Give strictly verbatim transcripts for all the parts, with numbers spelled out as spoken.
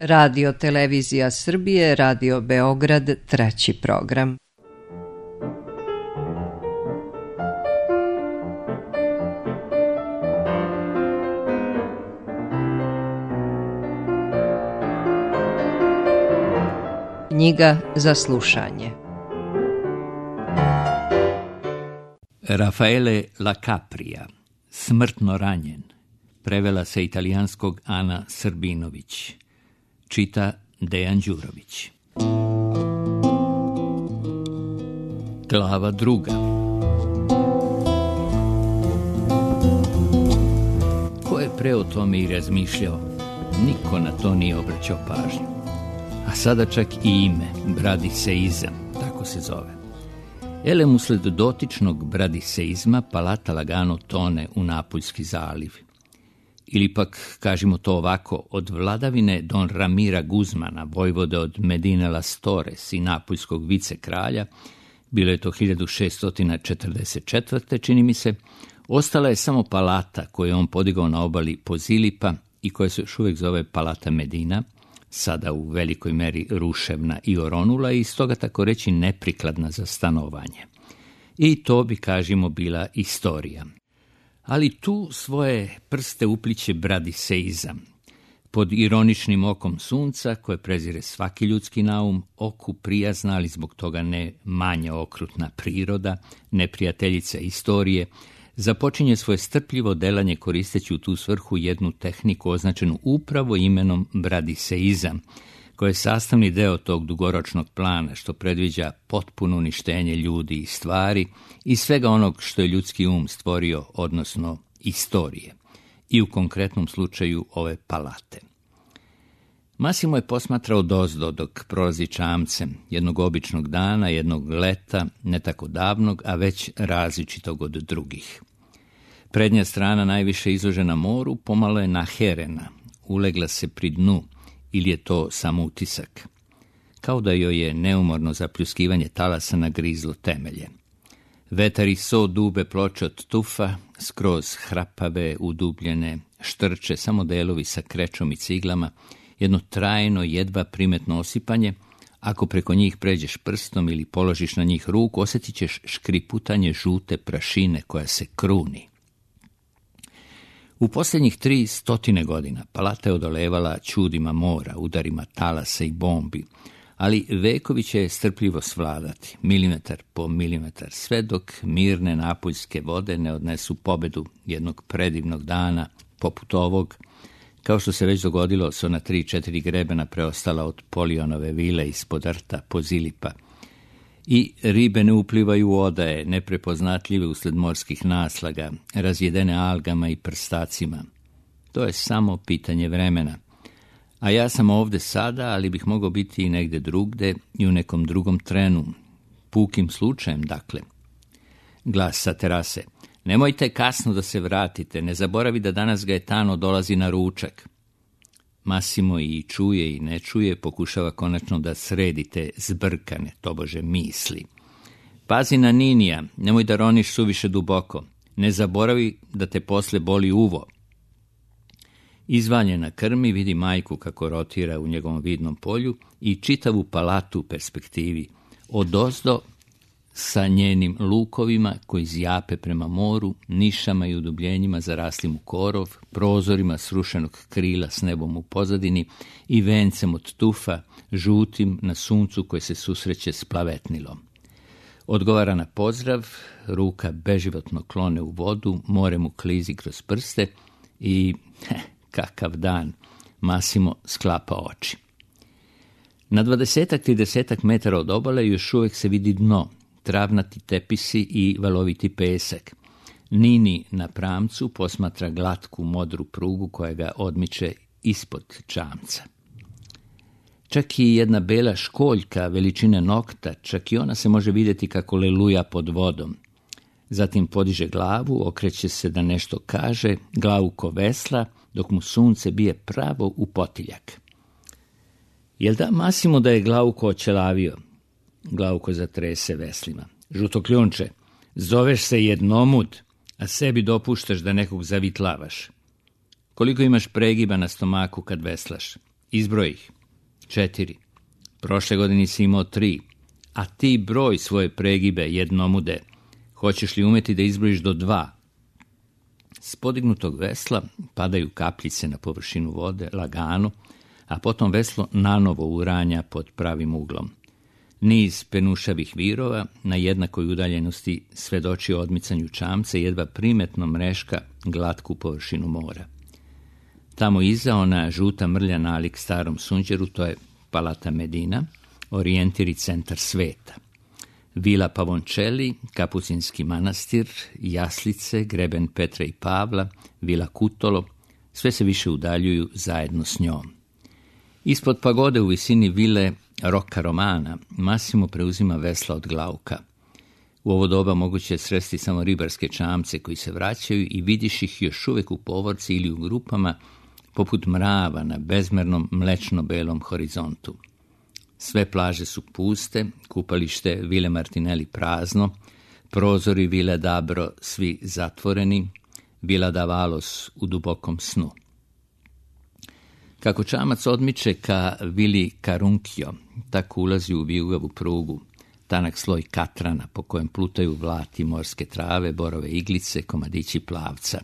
Radio Televizija Srbije, Radio Beograd, treći program. Knjiga za slušanje. Raffaele La Capria, Smrtno ranjen. Prevela sa italijanskog Ana Srbinović. Čita Dejan Đurović. Glava druga. Ko je pre o tome i razmišljao, niko na to nije obraćao pažnju. A sada čak i ime, bradiseizam, tako se zove. Elem usled dotičnog bradiseizma palata lagano tone u Napuljski zaliv. Ili pak, kažemo to ovako, od vladavine Don Ramira Guzmana, vojvode od Medine Las Torres i napuljskog vicekralja, bilo je to hiljadu šeststo četrdeset četvrte. čini mi se, ostala je samo palata koju je on podigao na obali Pozilipa i koja se još uvijek zove Palata Medina, sada u velikoj meri ruševna i oronula i stoga tako reći neprikladna za stanovanje. I to bi, kažemo, bila istorija. Ali tu svoje prste upliće bradiseizam. Pod ironičnim okom sunca, koje prezire svaki ljudski naum, oku prijazna, ali zbog toga ne manje okrutna priroda, neprijateljica istorije, započinje svoje strpljivo delanje koristeći u tu svrhu jednu tehniku označenu upravo imenom bradiseizam, koja je sastavni deo tog dugoročnog plana što predviđa potpuno uništenje ljudi i stvari i svega onog što je ljudski um stvorio, odnosno istorije, i u konkretnom slučaju ove palate. Massimo je posmatrao dozdo dok prolazi čamcem, jednog običnog dana, jednog leta, ne tako davnog, a već različitog od drugih. Prednja strana, najviše izložena moru, pomalo je naherena, ulegla se pri dnu, ili je to samo utisak, kao da joj je neumorno zapljuskivanje talasa nagrizlo temelje. Vetar i so dube ploče od tufa, skroz hrapave, udubljene, štrče, samo delovi sa krečom i ciglama, jedno trajno, jedva primetno osipanje. Ako preko njih pređeš prstom ili položiš na njih ruku, osjetit ćeš škriputanje žute prašine koja se kruni. U posljednjih tri stotine godina palata je odolevala čudima mora, udarima talasa i bombi, ali vekovi će je strpljivo svladati, milimetar po milimetar, sve dok mirne napuljske vode ne odnesu pobedu jednog predivnog dana, poput ovog, kao što se već dogodilo s ona tri, četiri grebena preostala od Polionove vile ispod rta Pozilipa. I ribe ne uplivaju u odaje, neprepoznatljive usled morskih naslaga, razjedene algama i prstacima. To je samo pitanje vremena. A ja sam ovde sada, ali bih mogao biti i negde drugde i u nekom drugom trenu. Pukim slučajem, dakle. Glas sa terase. Nemojte kasno da se vratite, ne zaboravi da danas Gaetano dolazi na ručak. Massimo i čuje i ne čuje, pokušava konačno da sredi te zbrkane, tobože, misli. Pazi na Ninija, nemoj da roniš suviše duboko. Ne zaboravi da te posle boli uvo. Izvaljen na krmi vidi majku kako rotira u njegovom vidnom polju i čitavu palatu u perspektivi, odozdo sa njenim lukovima koji zjape prema moru, nišama i udubljenjima zaraslim u korov, prozorima srušenog krila s nebom u pozadini i vencem od tufa, žutim na suncu koje se susreće s plavetnilom. Odgovara na pozdrav, ruka beživotno klone u vodu, more mu klizi kroz prste i, heh, kakav dan, Massimo sklapa oči. Na dvadesetak, tridesetak metara od obale još uvijek se vidi dno, travnati tepisi i valoviti pesak. Nini na pramcu posmatra glatku modru prugu koja ga odmiče ispod čamca. Čak i jedna bela školjka veličine nokta, čak i ona se može vidjeti kako leluja pod vodom. Zatim podiže glavu, okreće se da nešto kaže, glavu ko vesla, dok mu sunce bije pravo u potiljak. Jel da, Massimo, da je Glauko očelavio? Glauko zatrese veslima. Žuto kljunče, zoveš se jednomud, a sebi dopuštaš da nekog zavitlavaš. Koliko imaš pregiba na stomaku kad veslaš? Izbroj ih. Četiri. Prošle godine si imao tri. A ti broj svoje pregibe jednomude. Hoćeš li umeti da izbrojiš do dva? S podignutog vesla padaju kapljice na površinu vode, lagano, a potom veslo nanovo uranja pod pravim uglom. Niz penušavih virova na jednakoj udaljenosti svedoči o odmicanju čamca i jedva primetno mreška glatku površinu mora. Tamo iza ona žuta mrlja nalik starom sunđeru, to je Palata Medina, orijentir i centar sveta. Vila Pavončeli, Kapucinski manastir, Jaslice, greben Petra i Pavla, Vila Kutolo, sve se više udaljuju zajedno s njom. Ispod pagode u visini vile Rocca Romana Massimo preuzima vesla od Glauka. U ovo doba moguće je sresti samo ribarske čamce koji se vraćaju i vidiš ih još uvijek u povorci ili u grupama poput mrava na bezmernom mlečno-belom horizontu. Sve plaže su puste, kupalište Vile Martinelli prazno, prozori Vile Dabro svi zatvoreni, Vila Davalos u dubokom snu. Kako čamac odmiče ka Vili Caruncchio, tako ulazi u vijugavu prugu, tanak sloj katrana po kojem plutaju vlati morske trave, borove iglice, komadići plavca.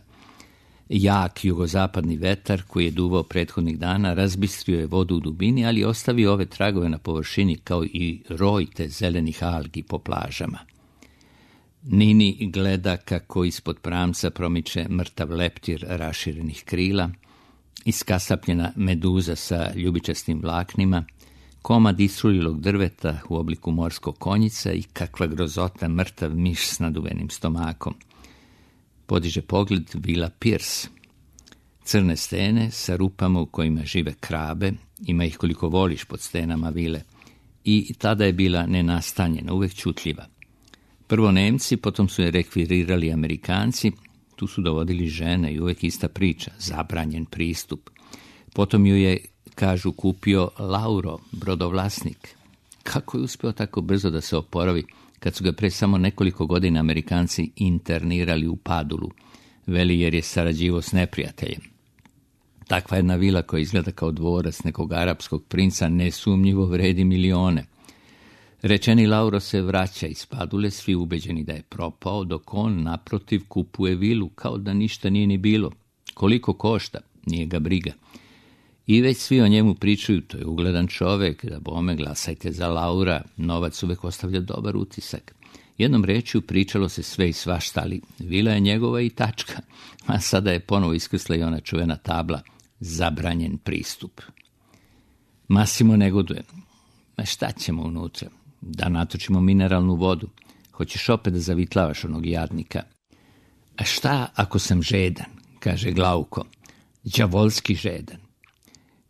Jak jugozapadni vetar koji je duvao prethodnih dana razbistrio je vodu u dubini, ali ostavio ove tragove na površini kao i rojte zelenih algi po plažama. Nini gleda kako ispod pramca promiče mrtav leptir raširenih krila, iskasapljena meduza sa ljubičastim vlaknima, komad istrulilog drveta u obliku morskog konjica i kakva grozota mrtav miš s naduvenim stomakom. Podiže pogled Vila Pierce. Crne stene sa rupama u kojima žive krabe, ima ih koliko voliš pod stenama vile, i tada je bila nenastanjena, uvek čutljiva. Prvo Nemci, potom su je rekvirirali Amerikanci, tu su dovodili žene i uvek ista priča, zabranjen pristup. Potom ju je, kažu, kupio Lauro, brodovlasnik. Kako je uspio tako brzo da se oporavi, kad su ga pre samo nekoliko godina Amerikanci internirali u Padulu, veli jer je sarađivao s neprijateljem. Takva jedna vila koja izgleda kao dvorac nekog arapskog princa nesumnjivo vredi milione. Rečeni Lauro se vraća iz Padule, svi ubeđeni da je propao, dok on naprotiv kupuje vilu kao da ništa nije ni bilo. Koliko košta, nije ga briga. I već svi o njemu pričaju, to je ugledan čovek, da bome glasajte za Laura, novac uvek ostavlja dobar utisak. Jednom rečju pričalo se sve i svašta, ali vila je njegova i tačka, a sada je ponovo iskrsla i ona čuvena tabla, zabranjen pristup. Massimo negoduje. Ma šta ćemo unutra? Da natočimo mineralnu vodu. Hoćeš opet da zavitlavaš onog jadnika? A šta ako sam žedan, kaže Glauko, đavolski žedan.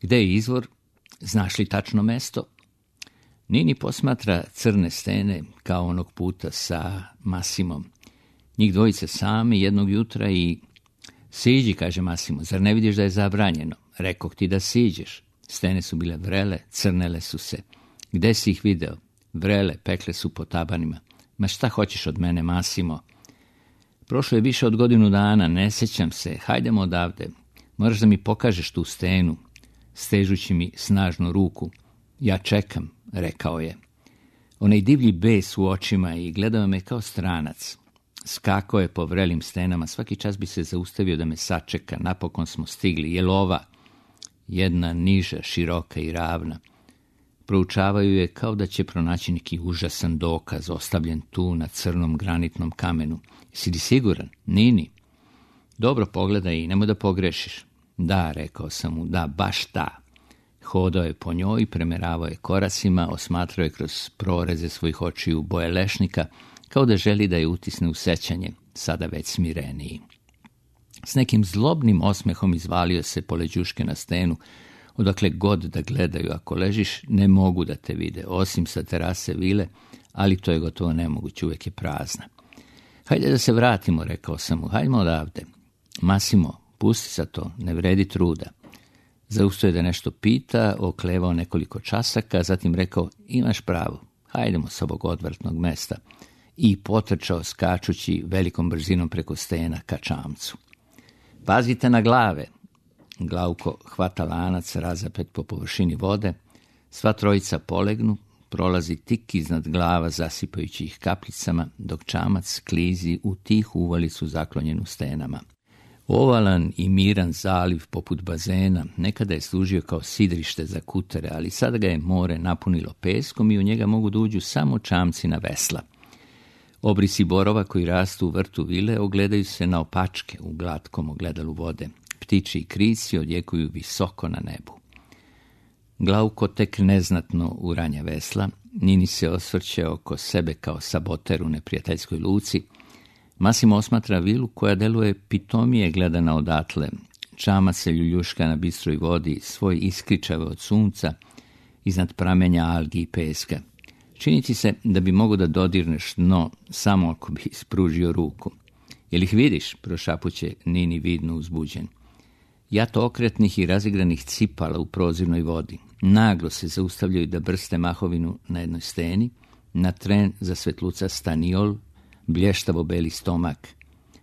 Gde je izvor? Znaš li tačno mesto? Nini posmatra crne stene kao onog puta sa Massimom. Njih dvojice sami jednog jutra i... Siđi, kaže Massimo, zar ne vidiš da je zabranjeno? Rekoh ti da siđeš. Stene su bile vrele, crnele su se. Gde si ih video? Vrele, pekle su po tabanima. Ma šta hoćeš od mene, Massimo? Prošlo je više od godinu dana, ne sećam se. Hajdemo odavde. Moraš da mi pokažeš tu stenu. Stežući mi snažnu ruku. Ja čekam, rekao je. Onaj divlji bes u očima i gledao me kao stranac. Skakao je po vrelim stenama, svaki čas bi se zaustavio da me sačeka. Napokon smo stigli. Jel ova? Jedna niža, široka i ravna. Proučavaju je kao da će pronaći neki užasan dokaz, ostavljen tu na crnom granitnom kamenu. Si li siguran? Nini. Dobro pogledaj i nemoj da pogrešiš. Da, rekao sam mu, da, baš ta. Hodao je po njoj, premeravao je koracima, osmatrao je kroz proreze svojih očiju boje lešnika, kao da želi da je utisne u sećanje, sada već smireniji. S nekim zlobnim osmehom izvalio se po leđuške na stenu, odakle god da gledaju, ako ležiš, ne mogu da te vide, osim sa terase vile, ali to je gotovo nemoguće, uvek je prazna. Hajde da se vratimo, rekao sam mu, hajdemo odavde. Massimo, pusti sa to, ne vredi truda. Zaustoje da nešto pita, oklevao nekoliko časaka, zatim rekao, imaš pravo, hajdemo s ovog odvrtnog mesta. I potrčao skačući velikom brzinom preko stena ka čamcu. Pazite na glave. Glavko hvata lanac razapet po površini vode, sva trojica polegnu, prolazi tik iznad glava zasipajući ih kapljicama, dok čamac klizi u tihu uvalicu zaklonjenu stenama. Ovalan i miran zaliv poput bazena nekada je služio kao sidrište za kutere, ali sada ga je more napunilo peskom i u njega mogu da uđu samo čamci na vesla. Obrisi borova koji rastu u vrtu vile ogledaju se na opačke u glatkom ogledalu vode. Ptiči i krici odjekuju visoko na nebu. Glavko tek neznatno uranja vesla, Nini se osvrće oko sebe kao saboter u neprijateljskoj luci. Masimo osmatra vilu koja deluje pitomije gledana odatle. Čama se ljuljuška na bistroj vodi, svoj iskričave od sunca, iznad pramenja algi i peska. Čini ti se da bi mogo da dodirneš dno samo ako bi ispružio ruku. Jel ih vidiš? Prošapuće Nini vidno uzbuđen. Jat okretnih i razigranih cipala u prozirnoj vodi. Naglo se zaustavljaju da brste mahovinu na jednoj steni, na tren zasvetluca staniol, blještavo beli stomak.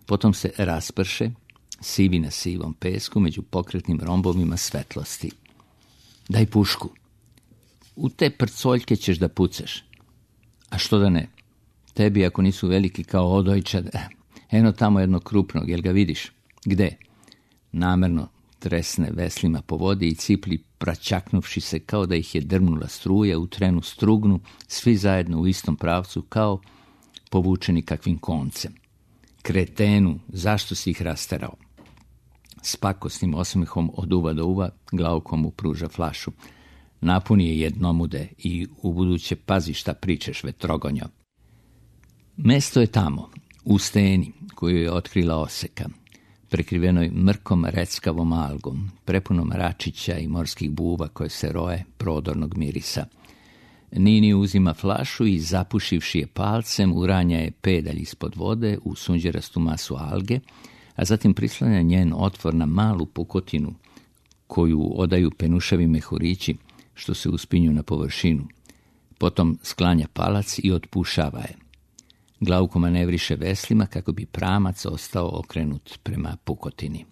Potom se rasprše, sivi na sivom pesku među pokretnim rombovima svetlosti. Daj pušku. U te prcoljke ćeš da pucaš. A što da ne? Tebi ako nisu veliki kao odojčad, eno tamo jedno krupnog, jel ga vidiš? Gde? Namerno tresne veslima po vodi i cipli praćaknuvši se kao da ih je drmnula struja, u trenu strugnu, svi zajedno u istom pravcu kao povučeni kakvim koncem. Kretenu, zašto si ih rasterao? S pakosnim osmehom od uva do uva Glavko mu pruža flašu. Napuni je jednomude i ubuduće pazi šta pričeš, vetrogonjo. Mesto je tamo, u steni koju je otkrila oseka, prekrivenoj mrkom reckavom algom, prepunom račića i morskih buva koje se roje prodornog mirisa. Nini uzima flašu i zapušivši je palcem, uranja je pedalj ispod vode u sunđerastu masu alge, a zatim prislanja njen otvor na malu pukotinu koju odaju penušavi mehurići što se uspinju na površinu. Potom sklanja palac i otpušava je. Glavko manevriše veslima kako bi pramac ostao okrenut prema pukotini.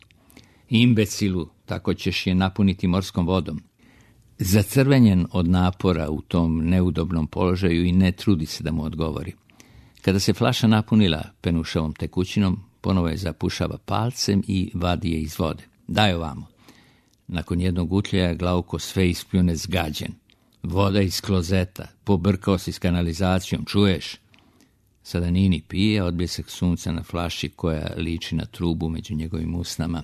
Imbecilu, tako ćeš je napuniti morskom vodom. Zacrvenjen od napora u tom neudobnom položaju i ne trudi se da mu odgovori. Kada se flaša napunila penušavom tekućinom, ponovo je zapušava palcem i vadi je iz vode. Daj ovamo. Nakon jednog utljaja Glavko sve ispljune zgađen. Voda iz klozeta, pobrkao si s kanalizacijom, čuješ? Sada Nini pije odbljesak sunca na flaši koja liči na trubu među njegovim usnama.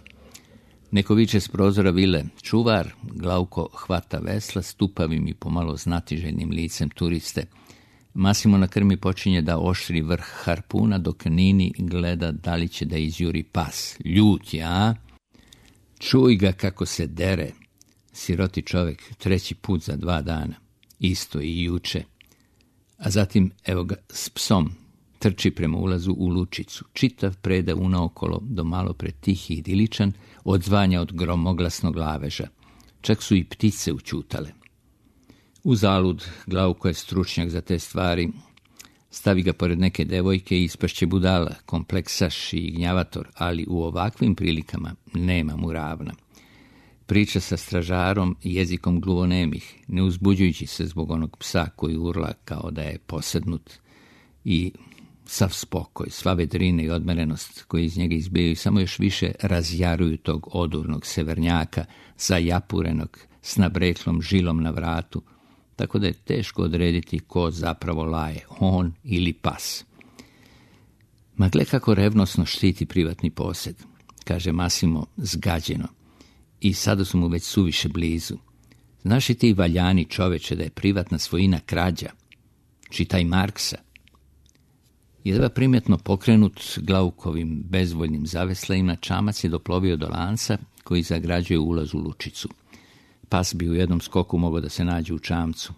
Neko viče s prozora vile, čuvar. Glavko hvata vesla stupavim i pomalo znatiželjnim licem turiste. Masimo na krmi počinje da oštri vrh harpuna, dok Nini gleda da li će da izjuri pas. Ljut je, a? Čuj ga kako se dere. Siroti čovek, treći put za dva dana. Isto i juče. A zatim, evo ga, s psom, trči prema ulazu u lučicu. Čitav preda unaokolo do malo pre tih i idiličan, odzvanja od gromoglasnog laveža. Čak su i ptice učutale. Uzalud, Glavko je stručnjak za te stvari. Stavi ga pored neke devojke i ispašće budala, kompleksaš i gnjavator, ali u ovakvim prilikama nema mu ravna. Priča sa stražarom jezikom gluvonemih, ne uzbuđujući se zbog onog psa koji urla kao da je posednut, i sav spokoj, sva vedrina i odmerenost koji iz njega izbijaju samo još više razjaruju tog odurnog severnjaka, zajapurenog s nabreklom žilom na vratu, tako da je teško odrediti ko zapravo laje, on ili pas. Ma gle kako revnosno štiti privatni posjed, kaže Masimo zgađeno, i sada su mu već suviše blizu. Znaš i ti valjani čoveče da je privatna svojina krađa? Čitaj Marksa. Jedva primjetno pokrenut Glavkovim bezvoljnim zaveslajima, čamac je doplovio do lanca koji zagrađuje ulaz u lučicu. Pas bi u jednom skoku mogao da se nađe u čamcu.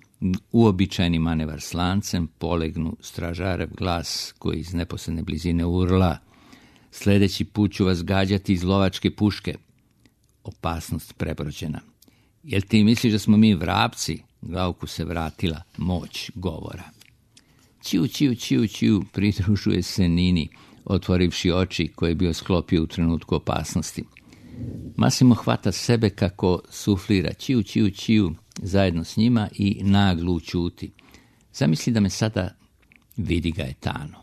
Uobičajeni manevar s lancem, polegnu stražarev glas koji iz neposredne blizine urla. Sljedeći put ću vas gađati iz lovačke puške. Opasnost prebrođena. Jel ti misliš da smo mi vrapci? Glavku se vratila moć govora. Ćiu, ćiu, ćiu, ćiu, pridružuje se Nini, otvorivši oči koje je bio sklopio u trenutku opasnosti. Massimo hvata sebe kako suflira čiju, čiju, čiju zajedno s njima i naglu ćuti. Zamisli da me sada vidi Gaetano.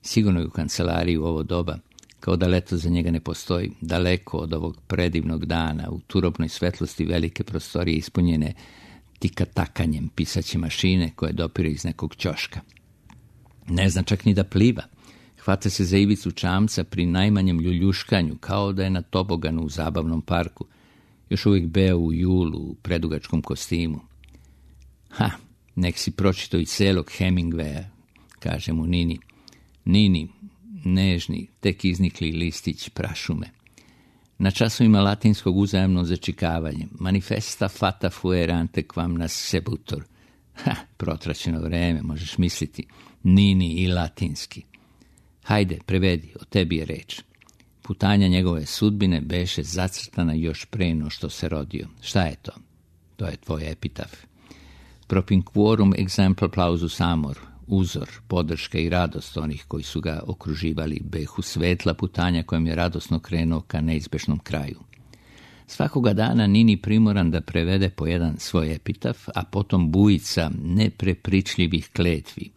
Sigurno je u kancelariji u ovo doba, kao da leto za njega ne postoji, daleko od ovog predivnog dana, u turobnoj svetlosti velike prostorije ispunjene tikatakanjem pisaće mašine koje dopire iz nekog ćoška. Ne zna čak ni da pliva. Hvata se za ivicu čamca pri najmanjem ljuljuškanju, kao da je na toboganu u zabavnom parku. Još uvijek beo u julu, u predugačkom kostimu. Ha, nek si pročito i celog Hemingwaya, kaže mu Nini. Nini, nežni, tek iznikli listić prašume. Na časovima latinskog uzajamno začikavanje. Manifesta fata fuere ante quam nascebutur. Ha, protraćeno vreme, možeš misliti. Nini i latinski. Hajde, prevedi, o tebi je reč. Putanja njegove sudbine beše zacrtana još pre no što se rodio. Šta je to? To je tvoj epitaf. Propinquorum exemplar plausus amor, uzor, podrška i radost onih koji su ga okruživali, behu svetla putanja kojom je radosno krenuo ka neizbešnom kraju. Svakoga dana Nini primoran da prevede po jedan svoj epitaf, a potom bujica neprepričljivih kletvi.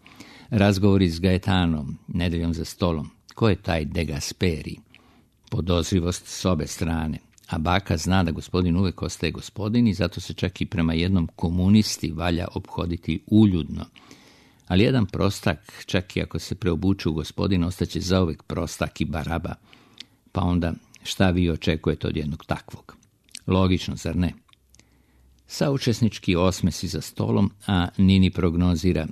Razgovori s Gaetanom, nedeljom za stolom. Ko je taj De Gasperi? Podozrivost s obe strane. A baka zna da gospodin uvek ostaje gospodin i zato se čak i prema jednom komunisti valja obhoditi uljudno. Ali jedan prostak, čak i ako se preobuče u gospodin, ostaće zauvek prostak i baraba. Pa onda šta vi očekujete od jednog takvog? Logično, zar ne? Saučesnički osmesi za stolom, a Nini prognozira: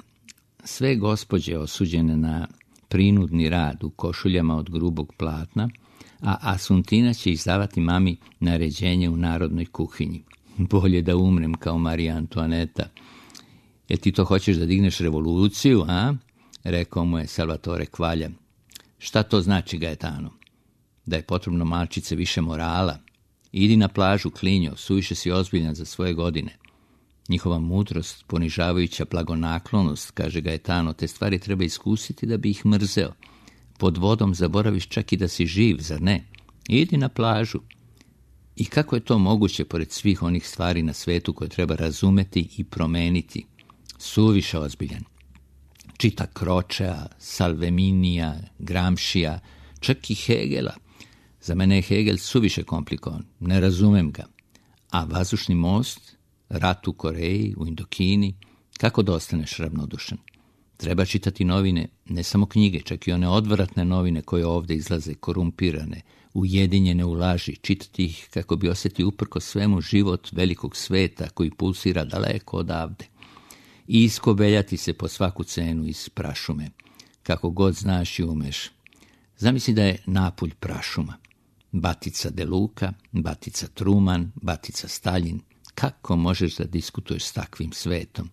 sve gospođe osuđene na prinudni rad u košuljama od grubog platna, a Asuntina će izdavati mami naređenje u narodnoj kuhinji. Bolje da umrem kao Marija Antoaneta. Jel ti to hoćeš da digneš revoluciju, a? Rekao mu je Salvatore Kvalja. Šta to znači, Gaetano? Da je potrebno malčice više morala. Idi na plažu, klinjo, suviše si ozbiljan za svoje godine. Njihova mudrost, ponižavajuća blagonaklonost, kaže Gaetano, te stvari treba iskusiti da bi ih mrzeo. Pod vodom zaboraviš čak i da si živ, zar ne? Idi na plažu. I kako je to moguće pored svih onih stvari na svetu koje treba razumeti i promeniti? Suviše ozbiljan. Čita Kročea, Salveminija, Gramšija, čak i Hegela. Za mene je Hegel suviše komplikovan, ne razumem ga. A vazdušni most, rat u Koreji, u Indokini, kako da ostaneš ravnodušan? Treba čitati novine, ne samo knjige, čak i one odvratne novine koje ovdje izlaze korumpirane, ujedinjene u laži, čitati ih kako bi osjetio uprko svemu život velikog sveta koji pulsira daleko odavde. I iskobeljati se po svaku cenu iz prašume, kako god znaš i umeš. Zamisli da je Napulj prašuma. Batica De Luca, Batica Truman, Batica Stalin. Kako možeš da diskutuješ s takvim svetom?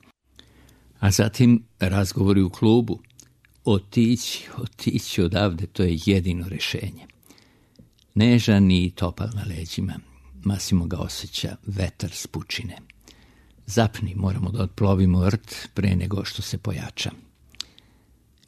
A zatim razgovori u klubu. Otići, otići odavde, to je jedino rešenje. Nežan i topal na leđima. Massimo ga osjeća, vetar s pučine. Zapni, moramo da otplovimo rt pre nego što se pojača.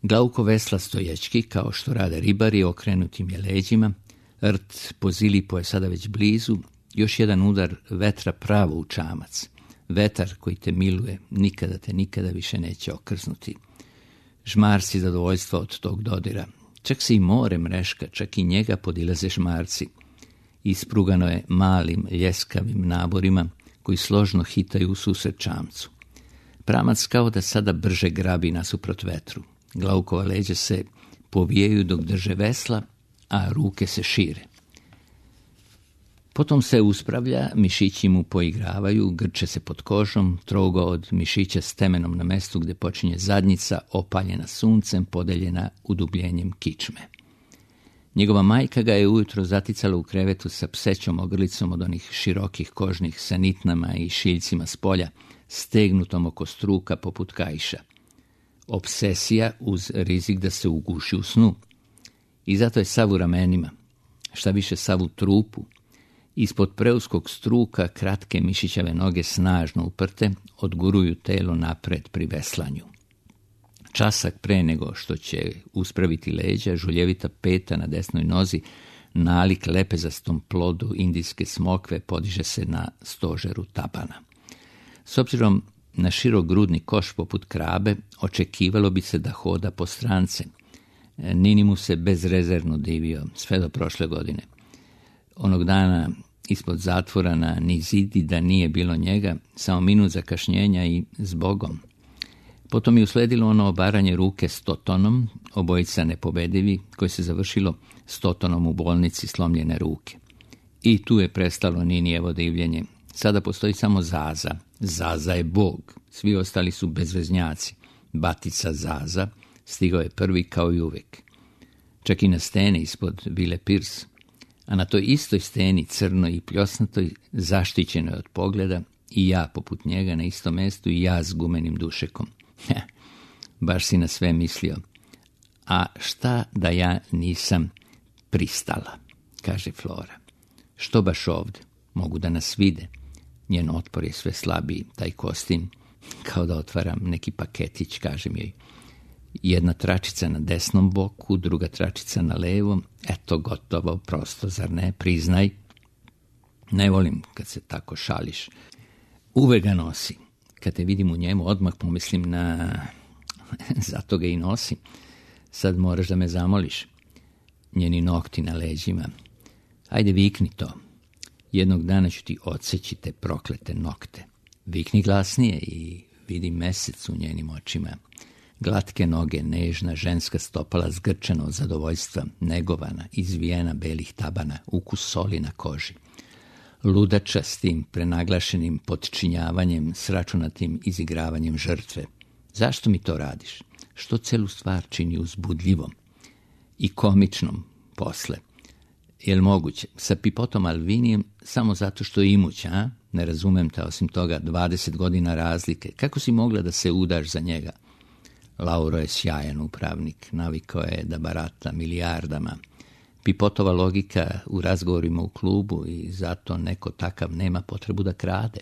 Glauko vesla stoječki, kao što rade ribari, okrenutim je leđima. Rt po Zilipu je sada već blizu. Još jedan udar vetra pravo u čamac. Vetar koji te miluje, nikada te nikada više neće okrznuti. Žmarci zadovoljstva od tog dodira. Čak se i more mreška, čak i njega podilaze žmarci. Isprugano je malim, ljeskavim naborima koji složno hitaju u susret čamcu. Pramac kao da sada brže grabi nasuprot vetru. Glaukova leđa se povijaju dok drže vesla, a ruke se šire. Potom se uspravlja, mišići mu poigravaju, grče se pod kožom, trogo od mišića s temenom na mestu gdje počinje zadnjica, opaljena suncem, podeljena udubljenjem kičme. Njegova majka ga je ujutro zaticala u krevetu sa psećom ogrlicom od onih širokih kožnih sa nitnama i šiljcima s polja, stegnutom oko struka poput kaiša. Obsesija uz rizik da se uguši u snu. I zato je sav u ramenima, šta više sav u trupu. Ispod preuskog struka kratke mišićave noge snažno uprte odguruju telo napred pri veslanju. Časak pre nego što će uspraviti leđa, žuljevita peta na desnoj nozi nalik lepezastom plodu indijske smokve podiže se na stožeru tabana. S obzirom na širogrudni koš poput krabe, očekivalo bi se da hoda po strance. Nini mu se bezrezervno divio, sve do prošle godine. Onog dana ispod zatvora na Nizidi da nije bilo njega, samo minut zakašnjenja i zbogom. Potom je usledilo ono obaranje ruke s Totonom, obojica nepobedivi, koje se završilo s Totonom u bolnici slomljene ruke. I tu je prestalo Ninijevo divljenje. Sada postoji samo Zaza. Zaza je Bog, svi ostali su bezveznjaci. Batica Zaza stigao je prvi kao i uvijek. Čak i na steni ispod Vile Pierce, a na toj istoj steni, crnoj i pljosnatoj, zaštićenoj od pogleda, i ja poput njega na istom mjestu i ja s gumenim dušekom. Baš si na sve mislio. A šta da ja nisam pristala, kaže Flora. Što baš ovdje? Mogu da nas vide. Njen otpor je sve slabiji, taj kostim, kao da otvaram neki paketić, kažem joj. Jedna tračica na desnom boku, druga tračica na levom. Eto, gotovo, prosto, zar ne? Priznaj. Ne volim kad se tako šališ. Uvek ga nosi. Kad te vidim u njemu, odmah pomislim na... Zato ga i nosim. Sad moraš da me zamoliš. Njeni nokti na leđima. Ajde, vikni to. Jednog dana ću ti odseći te proklete nokte. Vikni glasnije i vidi mesec u njenim očima. Glatke noge, nežna ženska stopala zgrčena od zadovoljstva, negovana, izvijena belih tabana, ukus soli na koži. Ludača s tim prenaglašenim potčinjavanjem, sračunatim izigravanjem žrtve. Zašto mi to radiš? Što celu stvar čini uzbudljivom i komičnom posle? Jel moguće? Sa Pipotom Alvinijem samo zato što je imuć, a? Ne razumem te, osim toga, dvadeset godina razlike. Kako si mogla da se udaš za njega? Lauro je sjajan upravnik, navikao je da barata milijardama. Pipotova logika u razgovorima u klubu i zato neko takav nema potrebu da krade.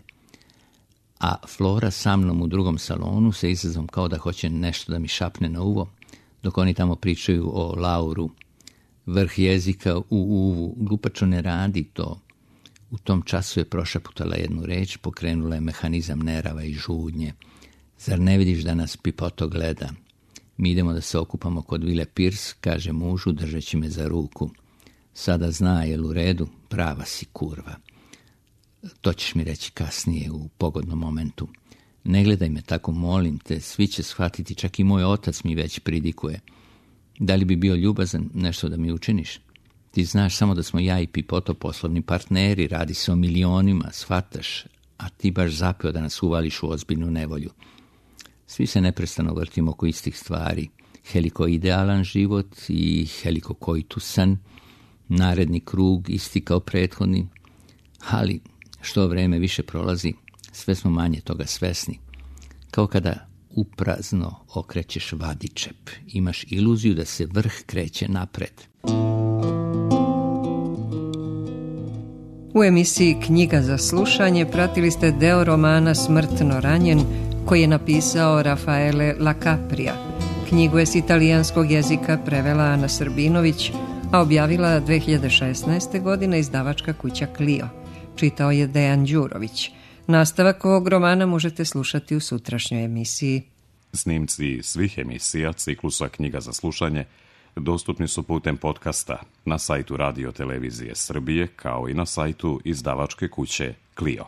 A Flora sa mnom u drugom salonu se izazom kao da hoće nešto da mi šapne na uvo, dok oni tamo pričaju o Lauru. Vrh jezika u uvu, glupačo ne radi to. U tom času je prošaputala jednu reč, pokrenula je mehanizam nerava i žudnje. Zar ne vidiš da nas Pipoto gleda? Mi idemo da se okupamo kod Vile Pierce, kaže mužu, držeći me za ruku. Sada zna, jel u redu? Prava si, kurva. To ćeš mi reći kasnije, u pogodnom momentu. Ne gledaj me tako, molim te, svi će shvatiti, čak i moj otac mi već pridikuje. Da li bi bio ljubazan nešto da mi učiniš? Ti znaš samo da smo ja i Pipoto poslovni partneri, radi se o milionima, shvataš, a ti baš zapeo da nas uvališ u ozbiljnu nevolju. Svi se neprestano vrtimo oko istih stvari. Heliko idealan život i heliko koitusan, naredni krug isti kao prethodni, ali što vreme više prolazi, sve smo manje toga svesni. Kao kada uprazno okrećeš vadičep, imaš iluziju da se vrh kreće napred. U emisiji Knjiga za slušanje pratili ste deo romana Smrtno ranjen, koji je napisao Rafaele Lacaprija. Knjigu je s italijanskog jezika prevela Ana Srbinović, a objavila dve hiljade šesnaeste. godine izdavačka kuća Clio. Čitao je Dejan Đurović. Nastavak ovog romana možete slušati u sutrašnjoj emisiji. Snimci svih emisija ciklusa Knjiga za slušanje dostupni su putem podcasta na sajtu Radio Televizije Srbije, kao i na sajtu izdavačke kuće Clio.